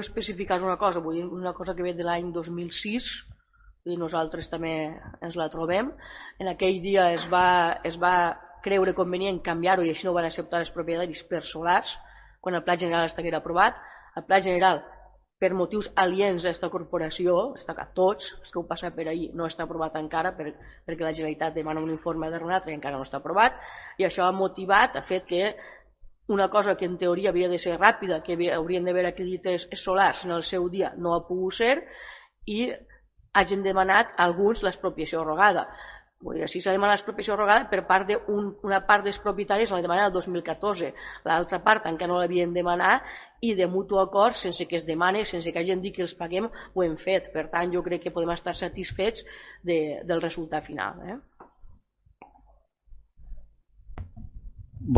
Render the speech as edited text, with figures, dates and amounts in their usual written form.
especificar una cosa, vull dir, una cosa que ve de l'any 2006, i nosaltres també ens la trobem. En aquell dia es va creure convenient canviar-ho i així no ho van acceptar els propietaris per solars, quan el Pla General estiguera aprovat. El Pla General, per motius aliens a aquesta corporació, a tots els que ho passa per ahir, no està aprovat encara perquè la Generalitat demana un informe de RENATRA i encara no està aprovat, i això ha motivat, ha fet que una cosa que en teoria havia de ser ràpida, que haurien d'haver acreditats solars en el seu dia, no ha pogut ser, i hagin demanat alguns l'expropiació rogada. Així s'ha demanat l'expropiació rogada per part d'una part dels propietaris, l'ha demanat el 2014, l'altra part encara no l'havien demanat, i de mutu acord, sense que es demani, sense que hagin dit que els paguem, ho hem fet. Per tant, jo crec que podem estar satisfets del resultat final.